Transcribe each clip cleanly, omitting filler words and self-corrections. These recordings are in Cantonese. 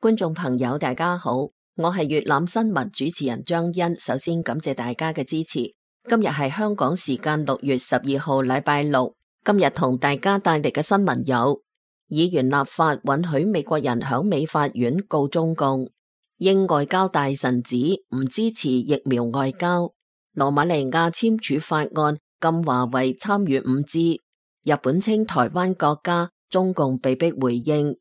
觀眾朋友大家好，我係粵覽新聞主持人張欣，首先感謝大家嘅支持。今日係香港時間6月12號禮拜六，今日同大家帶嚟嘅新聞有：議員立法允許美國人響美法院告中共；英外交大臣指唔支持疫苗外交；羅馬尼亞簽署法案禁華為參與5G；日本稱台灣國家，中共被迫回應。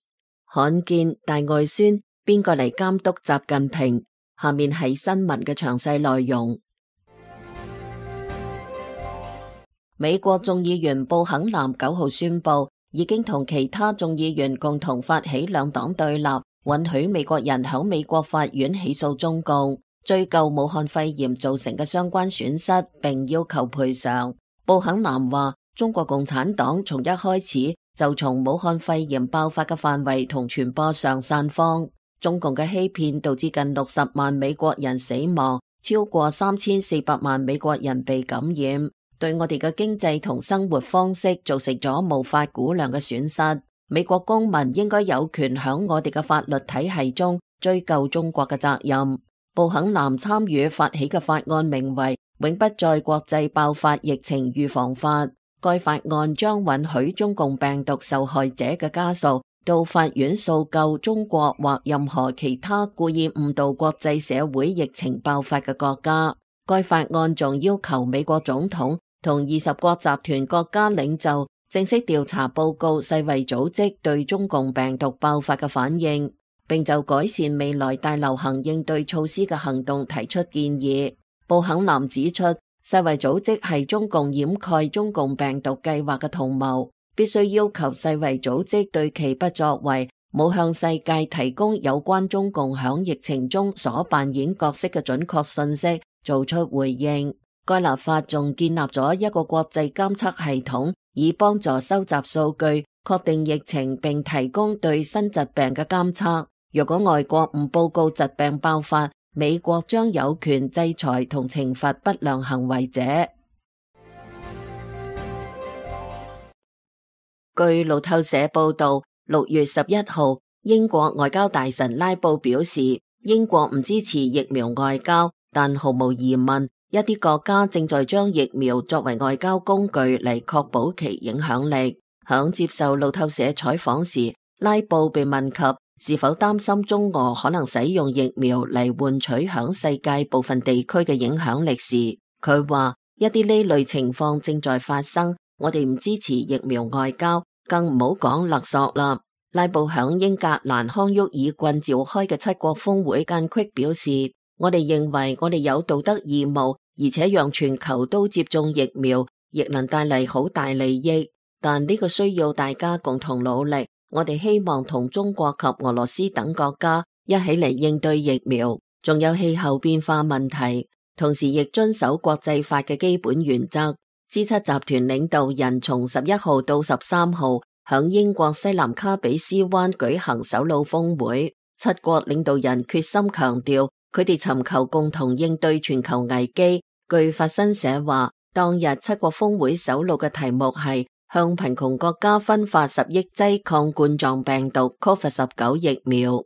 罕見大外宣，邊個嚟監督習近平？下面係新聞嘅詳細內容。美國眾議員布肯南9號宣布，已經同其他眾議員共同發起兩黨對立，允許美國人響美國法院起訴中共，追究武漢肺炎造成嘅相關損失，並要求賠償。布肯南話，中國共產黨從一開始就從武漢肺炎爆發嘅範圍同傳播上散謊，中共嘅欺騙導致近60萬美國人死亡，超過3400萬美國人被感染，對我哋嘅經濟同生活方式造成咗無法估量嘅損失。美國公民應該有權響我哋嘅法律體系中追究中國嘅責任。布肯南參與發起嘅法案名為《永不再國際爆發疫情預防法》。該法案將允許中共病毒受害者嘅家屬到法院訴救中國或任何其他故意誤導國際社會疫情爆發嘅國家。該法案仲要求美國總統同20國集團國家領袖正式調查報告世衛組織對中共病毒爆發嘅反應，並就改善未來大流行應對措施嘅行動提出建議。布肯南指出，世衛組織係中共掩蓋中共病毒計劃嘅同謀，必須要求世衛組織對其不作為、冇向世界提供有關中共響疫情中所扮演角色嘅準確信息做出回應。該立法仲建立咗一個國際監測系統，以幫助收集數據、確定疫情並提供對新疾病嘅監測。若果外國唔報告疾病爆發，美國將有權制裁同懲罰不良行為者。據路透社報道，6月11號，英國外交大臣拉布表示，英國唔支持疫苗外交，但毫無疑問，一啲國家正在將疫苗作為外交工具嚟確保其影響力。響接受路透社採訪時，拉布被問及是否擔心中俄可能使用疫苗嚟換取響世界部分地區嘅影響力時，佢話一啲呢類情況正在發生，我哋唔支持疫苗外交，更唔好講勒索啦。拉布響英格蘭康沃爾郡召開嘅7國峰會間隙表示，我哋認為我哋有道德義務，而且讓全球都接種疫苗，亦能帶嚟好大利益，但呢個需要大家共同努力。我哋希望同中國及俄羅斯等國家一起嚟應對疫苗，仲有氣候變化問題，同時亦遵守國際法嘅基本原則。G7 集團領導人從11號到13號響英國西南卡比斯灣舉行首腦峰會，7國領導人決心強調，佢哋尋求共同應對全球危機。據法新社話，當日7國峰會首腦嘅題目係向貧窮國家分發10億劑抗冠狀病毒 COVID-19 疫苗。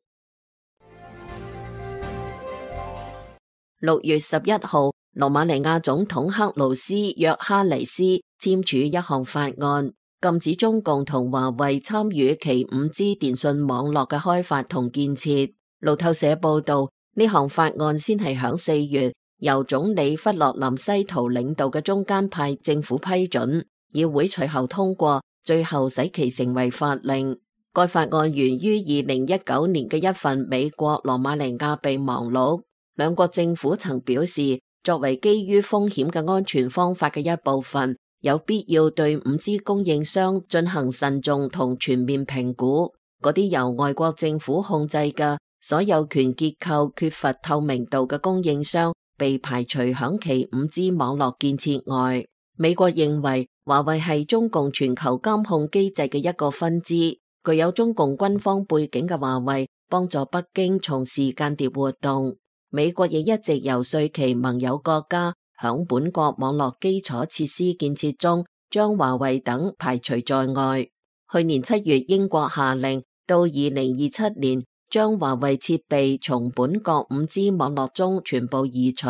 6月11號，羅馬尼亞總統克魯斯約哈尼斯簽署一項法案，禁止中共同華為參與其5G 電信網絡嘅開發同建設。路透社報道，呢項法案先係響4月由總理弗洛林西圖領導嘅中間派政府批准。議會隨後通過，最後使其成為法令。該法案源於2019年嘅一份美國羅馬尼亞備忘錄。兩國政府曾表示，作為基於風險嘅安全方法嘅一部分，有必要對5G 供應商進行慎重同全面評估。嗰啲由外國政府控制嘅所有權結構缺乏透明度嘅供應商被排除響其5G 網絡建設外。美國認為華為係中共全球監控機制嘅一個分支，具有中共軍方背景嘅華為幫助北京從事間諜活動。美國亦一直游說其盟友國家響本國網絡基礎設施建設中將華為等排除在外。去年7月，英國下令到2027年將華為設備從本國 5G 網絡中全部移除。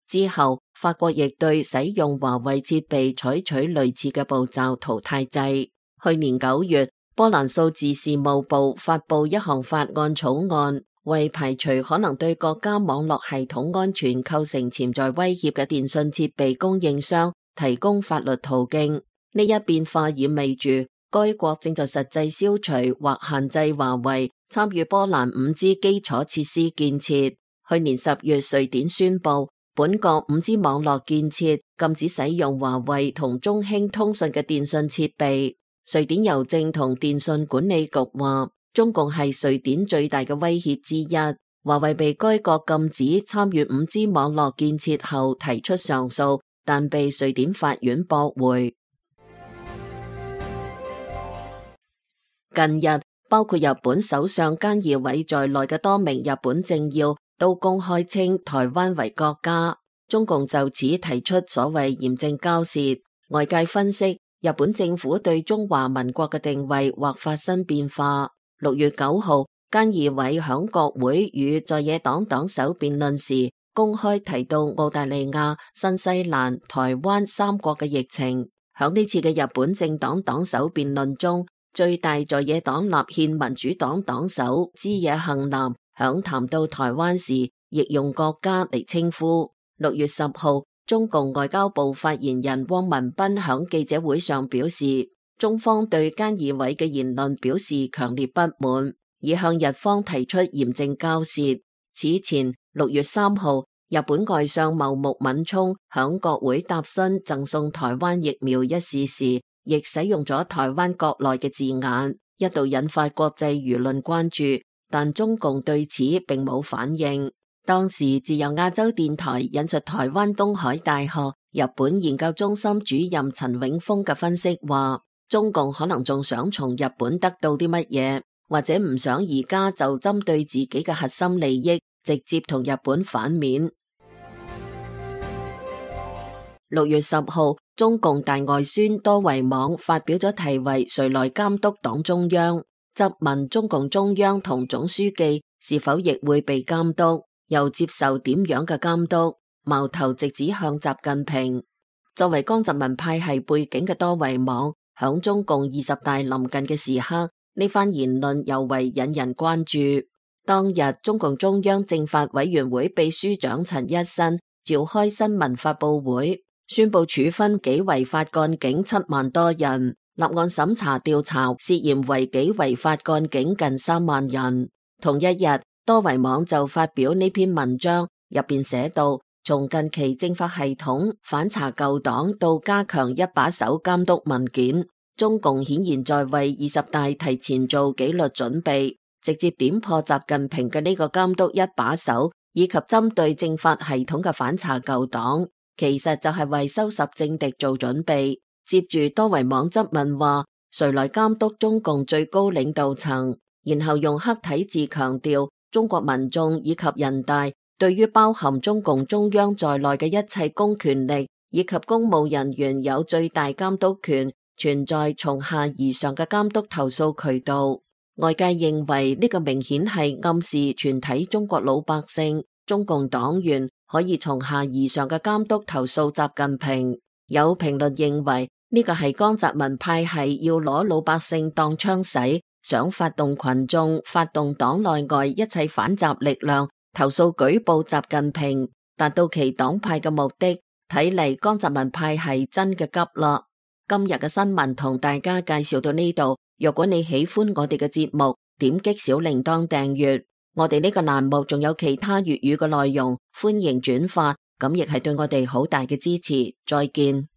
之後，法國亦對使用華為設備採取類似嘅步驟淘汰制。去年9月，波蘭數字事務部發布一項法案草案，為排除可能對國家網絡系統安全構成潛在威脅嘅電信設備供應商提供法律途徑。呢一變化意味住該國正在實際消除或限制華為參與波蘭 5G 基礎設施建設。去年10月，瑞典宣布本國 5G 網絡建設禁止使用華為同中興通訊嘅電信設備。瑞典郵政同電信管理局話，中共係瑞典最大嘅威脅之一。華為被該國禁止參與 5G 網絡建設後提出上訴，但被瑞典法院駁回。近日，包括日本首相菅義偉在內嘅多名日本政要都公開稱台灣為國家。中共就此提出所謂嚴正交涉。外界分析，日本政府對中華民國嘅定位或發生變化。6月9號，菅義偉響國會與在野黨黨首辯論時，公開提到澳大利亞、新西蘭、台灣3國嘅疫情。響呢次嘅日本政黨黨首辯論中，最大在野黨立憲民主黨黨首枝野幸男響談到台灣時，亦用國家嚟稱呼。6月10號，中共外交部發言人汪文斌響記者會上表示，中方對菅義偉嘅言論表示強烈不滿，已向日方提出嚴正交涉。此前6月3號，日本外相茂木敏充響國會答詢贈送台灣疫苗一事時，亦使用咗台灣國內嘅字眼，一度引發國際輿論關注，但中共對此並冇反應。當時自由亞洲電台引述台灣東海大學日本研究中心主任陳永峰嘅分析話，中共可能仲想從日本得到啲乜嘢，或者唔想而家就針對自己嘅核心利益直接同日本反面。6月10號，中共大外宣多維網發表咗題為誰來監督黨中央，質問中共中央同總書記是否亦會被監督，又接受點樣嘅監督，矛頭直指向習近平。作為江澤民派系背景嘅多維網，響中共20大臨近嘅時刻，呢番言論尤為引人關注。當日，中共中央政法委員會秘書長陳一新召開新聞發佈會，宣布處分紀違法幹警7萬多人，立案審查調查涉嫌違紀違法幹警近3萬人。同一日，多維網就發表呢篇文章，入邊寫到，從近期政法系統反查舊黨到加強一把手監督文件，中共顯然在為20大提前做紀律準備，直接點破習近平嘅呢個監督一把手，以及針對政法系統嘅反查舊黨，其實就係為收拾政敵做準備。接住多維網質問話，誰來監督中共最高領導層？然後用黑體字強調，中國民眾以及人大對於包含中共中央在內嘅一切公權力以及公務人員有最大監督權，存在從下而上嘅監督投訴渠道。外界認為呢個明顯係暗示全體中國老百姓、中共黨員可以從下而上嘅監督投訴習近平。有評論認為呢個係江澤民派系要攞老百姓當槍使，想發動群眾、發動黨內外一切反習力量投訴舉報習近平，達到其黨派嘅目的。睇嚟江澤民派系真嘅急啦。今日嘅新聞同大家介紹到呢度，若果你喜歡我哋嘅節目，點擊小鈴鐺訂閱。我哋呢個欄目仲有其他粵語嘅內容，歡迎轉發，咁亦係對我哋好大嘅支持。再見。